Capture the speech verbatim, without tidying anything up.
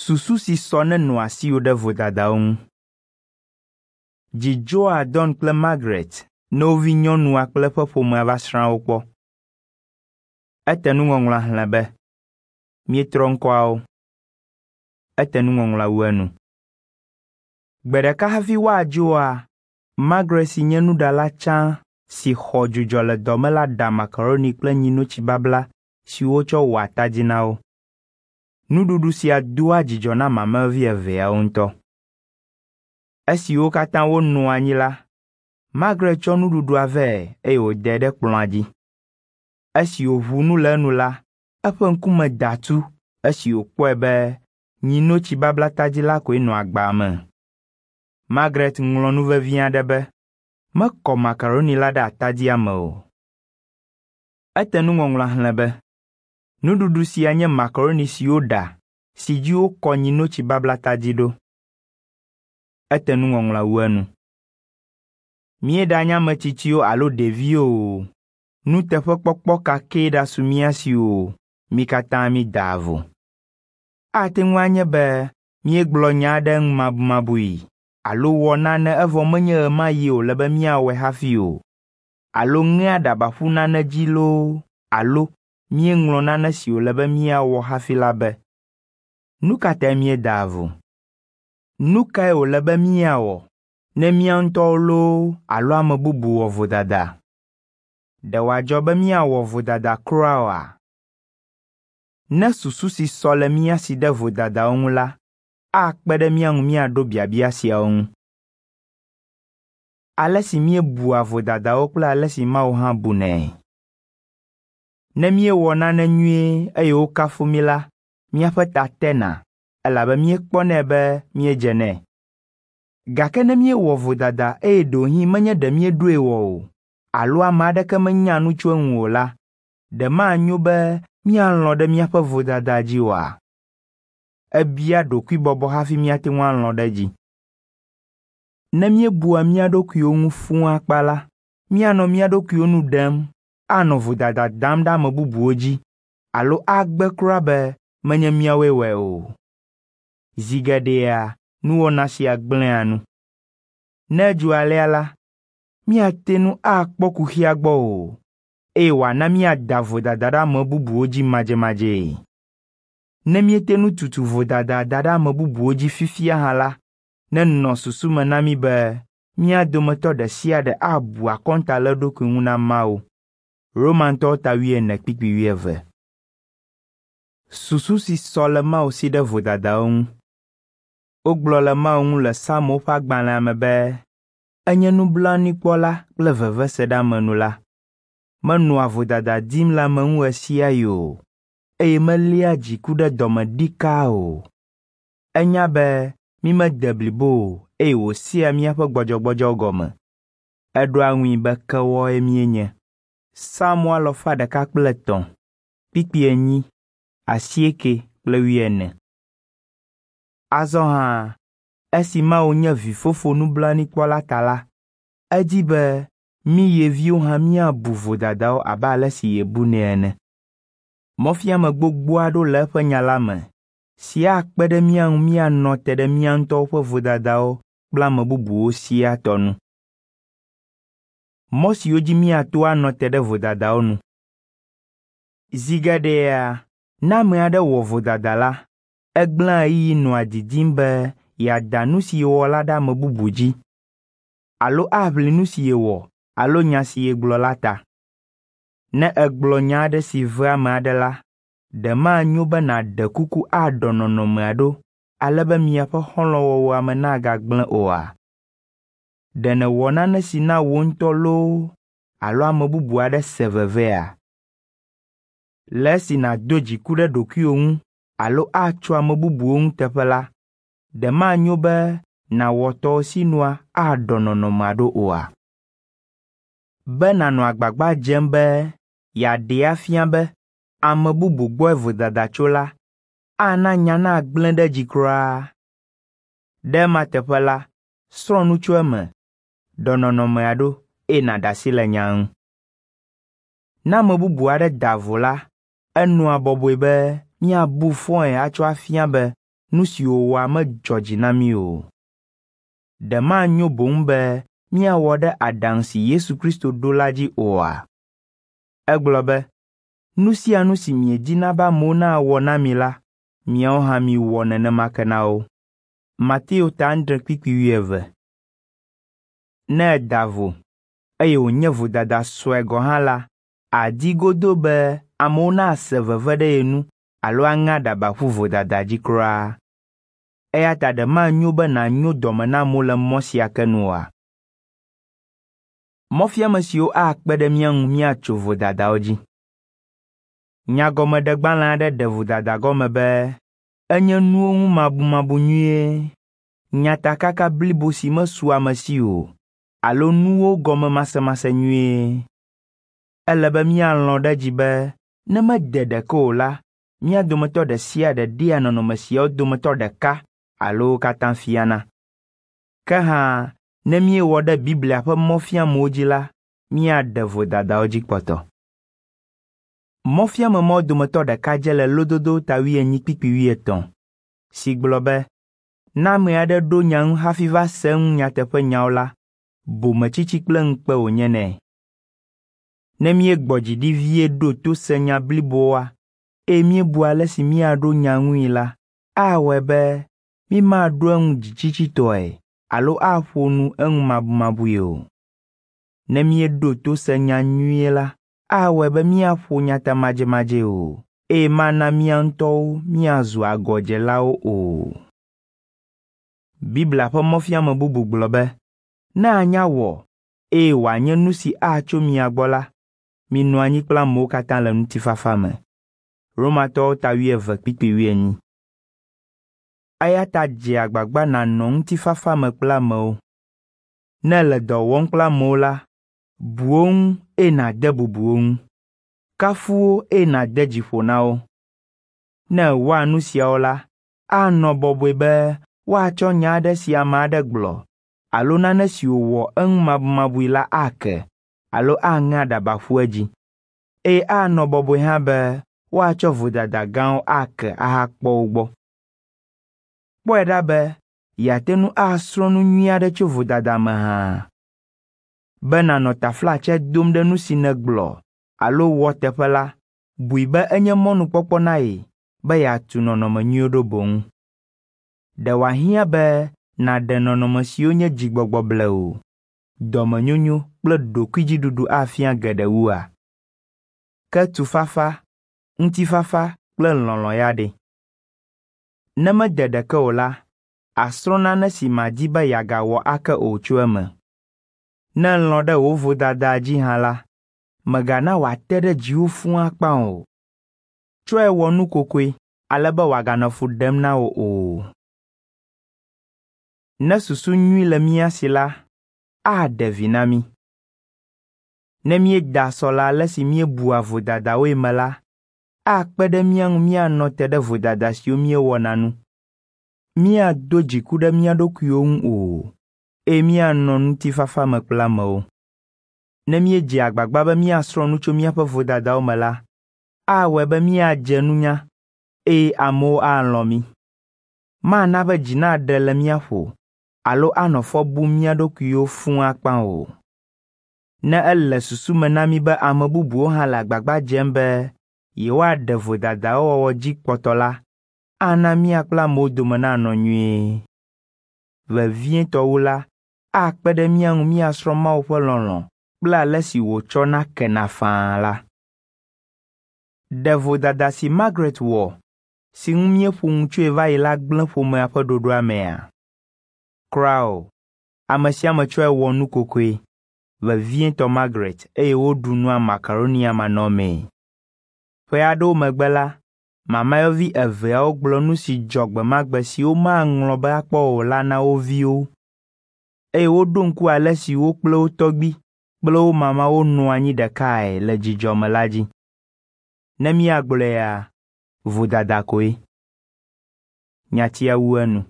Susu si sɔ nenɔ asiwò ɖe vodadawo ŋu. Dzi dzɔa Don kple Margaret ne wo vinyɔnua kple eƒe ƒomea va srã wo kpɔ. Ete nuŋɔŋlɔa xlẽ be, míetrɔ ŋkɔawo. Ete nuŋɔŋlɔa wu enu. Gbe ɖeka hafi woadzoa, Margaret si nye nuɖala tsã si xɔ dzudzɔ le dɔme la ɖa makaroni kple nyinotsi babla si wotsɔ wɔ atadi na wo. Nuɖuɖu sia doa dzidzɔ na mamlɛvi eveawo ŋutɔ. Esi wo katã wonɔ anyi la, Margaret tsɔ nuɖuɖua vɛ eye wòdae ɖe kplɔ̃a dzi. Esi wòʋu nu le enu la, eƒe ŋkume da tu esi wòkpɔe be nyinotsi babla tadi la koe nɔ agba me. Margaret ŋlɔ nu vevi aɖe be, mekɔ makaroni la ɖe atadia me o. Ete nuŋɔŋlɔa xlẽ be, nuɖuɖu sia nye makaroni si woɖa si dzi wokɔ nyinotsi babla tadi ɖo. Ete nuŋɔŋlɔa wu enu. Míeɖanye ame tsitsiwo alo ɖeviwo o, nuteƒekpɔkpɔ ka kee ɖasu mía si o, mí katã mídaa vo. Ate ŋu anye be míegblɔ nya aɖe ŋumabumabui alo wɔ nane evɔ menye ɣemaɣi wòle be míawɔe hafi o, alo ŋe aɖaba ƒu nane dzi loo alo míeŋlɔ nane si wòle be míawɔ hafi la be. Nu ka tae míedaa vo? Nu kae wòle be míawɔ ne mía ŋutɔwo loo alo ame bubu wɔ vodada? Ɖe wòadzɔ be míawɔ vodada kura oa? Ne susu si sɔ le mía si ɖe vodadawo ŋu la, akpe ɖe mía ŋu míaɖo biabia siawo ŋu. Ale si míebua vodadawo kple ale si Mawu hã bunɛ. Ne míewɔ nane nyuie eye wokafu mí la, míaƒe ta tena elabe míekpɔnɛ be míedze nɛ. Gake ne míewɔ vodada eye ɖewohĩ menye ɖe míeɖoe wɔ o alo ame aɖeke menya nu tso eŋu o la, ɖe manyo be míalɔ̃ ɖe míaƒe vodada dzi oa? Ebia ɖokuibɔbɔ hafi míate ŋu alɔ̃ ɖe edzi. Ne míebua mía ɖokuiwo ŋu fũu akpa la, míanɔ mía ɖokuiwo nu ɖem, anɔ vodada dam ɖe ame bubuwo dzi alo agbe kura be menye míawoe wɔe o. Zi geɖea nuwɔna sia gblẽa nu. Ne edzɔ alea la, míate ŋu akpɔ kuxia gbɔ o eye wòana míada vodada ɖe ame bubuwo dzi madzemadzee. Ne míete ŋu tutu vodada da ɖe ame bubuwo dzi fifia hã la, nenɔ susu me na mí be mía dometɔ ɖe sia ɖe abu akɔnta le eɖokui ŋu na Mawu. Romantɔwo ta wuiene kpukpui wuieve. Susu si sɔ le Mawu si ɖe vodadawo ŋu. Wogblɔ le Mawu ŋu le Psalmowo ƒe agbalẽa me be enye nublanuikpɔla kple veveseɖeamenula. Menɔa vodada dim le ame ŋu ɣesiaɣi o eye meléa dziku ɖe dɔme ɖikaa o. Enya be mímede blibo o eye wòsea míaƒe gbɔdzɔgbɔdzɔ gɔme. Eɖoa ŋui be kewɔe míenye. Psalmo alafa ɖeka kple etɔ̃, kpukpui enyi, asieke kple wuiene. Azɔ hã, esi Mawu nye vifofo nublanuikpɔla ta la, edi be mí ye viwo hã míabu vodadawo abe ale si yebunɛ ene. Mɔfiame gbogbo aɖewo le eƒe nya la me si akpe ɖe mía ŋu míanɔ te ɖe mía ŋutɔwo ƒe vodadawo kple ame bubuwo siaa tɔ nu. Mɔ siwo dzi míato anɔ te ɖe vodadawo nu. Zi geɖea, ne ame aɖe wɔ vodada la, egblẽa ɣeyiɣi nɔa didim be yeada nu si yewɔ la ɖe ame bubu dzi alo aʋli nu si yewɔ alo nya si yegblɔ la ta. Ne ègblɔ nya aɖe si ve ame aɖe la, ɖe manyo be nàɖe kuku aɖɔ nɔnɔmea ɖo ale be miaƒe xɔlɔ̃wɔwɔa me nagagblẽ oa? Ɖe nèwɔ nane si na wò ŋutɔ loo alo ame bubu aɖe se vevea? Le esi nàdo dziku ɖe ɖokuiwò ŋu alo atso ame bubuwo ŋu teƒe la, ɖe manyo be nàwɔ tɔwò sinua aɖɔ nɔnɔmea ɖo oa? Be nànɔ agbagba dzem be yeaɖee afia be ame bubu gbɔe vodada tso la, ana nya nagblẽ ɖe edzi kura. Ɖe ema teƒe la, srɔ̃ nu tso eme, ɖɔ nɔnɔmea ɖo eye nàɖe asi le nyaa ŋu. Ne ame bubu aɖe da vo la, enɔa bɔbɔe be míabu fɔe atsɔ afia be nu si wòwɔa medzɔ dzi na mí o. Ɖe manyo boŋ be míawɔ ɖe aɖaŋu si Yesu Kristo ɖo la dzi oa? Egblɔ be, nu sia nu si miedina be amewo nawɔ na mi la, miawo hã miwɔ nenema ke na wo. Mateo ta adre kpukpui wuieve. Ne èda vo, eye wònye vodada sue gɔ̃ hã la, àdi godoo be amewo nase veve ɖe ye nu alo aŋe aɖaba ƒu vodada dzi kura. Eya ta ɖe manyo be nànyo dɔme na amewo le mɔ sia ke nu oa? Mɔfiame siwo akpe ɖe mía ŋu míatso vodadawo dzi. Nyagɔmeɖegbalẽ aɖe ɖe vodada gɔme be enye nuwo ŋu mabumabu nyuie, nyatakaka blibo si mesu ame si o alo nuwo gɔme masemase nyuie. Ele be míalɔ̃ ɖe edzi be ne mede ɖeke o la, mía dometɔ ɖe sia ɖe ɖea nɔnɔme siawo dometɔ ɖeka alo wo katã fiana. Ke hã, ne míewɔ ɖe Biblia ƒe mɔfiamewo dzi la, míaɖe vodadawo dzi kpɔtɔ. Mɔfiame mawo dometɔ ɖeka dze le Lododo ta wuienyi kpukpui wuietɔ̃ si gblɔ be, ne ame aɖe ɖo nya ŋu hafi va se eŋu nyateƒenyawo la, bometsitsi kple ŋukpe wònye nɛ. Ne míegbɔ dzi ɖi vie ɖo to se nya bliboa eye míebu ale si míaɖo nya ŋui la, awɔe be mímaɖo eŋu dzitsitsitɔe alo aƒo nu eŋu mabumabui o. Ne míeɖo to se nya nyuie la, awɔe be míaƒo nya ta madzemadzee o, eye mana mía ŋutɔwo míazu agɔdzelawo o. Biblia ƒe mɔfiame bubu gblɔ be, ne anya wɔ eye wòanye nu si atso mia gbɔ la, minɔ anyi kple amewo katã le ŋutifafa me. Romatɔwo ta wuieve kpukpui wuienyi. Eya ta dze agbagba nànɔ ŋutifafa me kple amewo. Ne èle dɔ wɔm kple amewo la, bu wo ŋu eye nàde bubu wo ŋu. Kafu wo eye nàde dzi ƒo na wo. Ne èwɔa nu siawo la, anɔ bɔbɔe be woatsɔ nya aɖe si ame aɖe gblɔ alo nane si wòwɔ eŋu mabumabui la ake alo aŋe aɖaba ƒu edzi. Eye anɔ bɔbɔe hã be woatsɔ vodada gãwo ake ahakpɔ wo gbɔ. Kpɔe ɖa be yeate ŋu asrɔ̃ nu nyui aɖe tso vodada me hã. Be nànɔ taflatse dom ɖe nu si nègblɔ alo wɔ teƒe la, bui be enye mɔnukpɔkpɔ na ye be yeatu nɔnɔme nyuiwo ɖo boŋ. Ɖe wòahiã be nàɖe nɔnɔme siwo nye dzigbɔgbɔ blewu, dɔmenyonyo kple ɖokuidziɖuɖu afia geɖe wua? Ke tufafa, ŋutifafa kple lɔlɔ̃ ya ɖe? Ne mede ɖeke o la, àsrɔ̃ nane si màdi be yeagawɔ ake o tso eme. Ne èlɔ̃ ɖe wò vodada dzi hã la, mègana wòate ɖe dziwò fũu akpa o. Tsɔe wɔ nu kokoe ale be wòaganɔ fu ɖem na wò o. Ne susu nyui le mía si la, aɖe vi na mí. Ne míeda sɔ le ale si míebua vodadawoe me la, akpe ɖe mía ŋu míanɔ te ɖe vodada siwo míewɔna nu. Míado dziku ɖe mía ɖokuiwo ŋu o, eye míanɔ ŋutifafa me kple amewo. Ne míedze agbagba be míasrɔ̃ nu tso míaƒe vodadawo me la, awɔe be míadze nunya eye amewo alɔ̃ mí. Mana be dzi naɖe le mía ƒo alo anɔ fɔ bum mía ɖokuiwo fũu akpa o. Ne ele susu me na mí be ame bubuwo hã le agbagba dzem be yewoaɖe vodadawo wɔwɔ dzi kpɔtɔ la, ana mía kple amewo dome nanɔ nyuie. Vevietɔ wu la, akpe ɖe mía ŋu míasrɔ̃ Mawu ƒe lɔlɔ̃ kple ale si wòtsɔna kena faa la. Ɖe vodada si Margaret wɔ, si ŋu míeƒo nu tsoe va yi la gblẽ ƒomea ƒe ɖoɖoa mea? Kura o. Ame sia ame tsɔe wɔ nu kokoe, vevietɔ Margaret eye woɖu nua makaronia manɔmee. Ƒe aɖewo megbe la, mamayɔvi eveawo gblɔ nu si dzɔ gbe ma gbe si womaŋlɔ be akpɔ o la na wo viwo eye woɖo ŋku ale si wo kple wo tɔgbui kple wo mamawo nɔ anyi ɖekae le dzidzɔ me la dzi. Ne míagblɔea, vodada koe. Nyatia wu enu.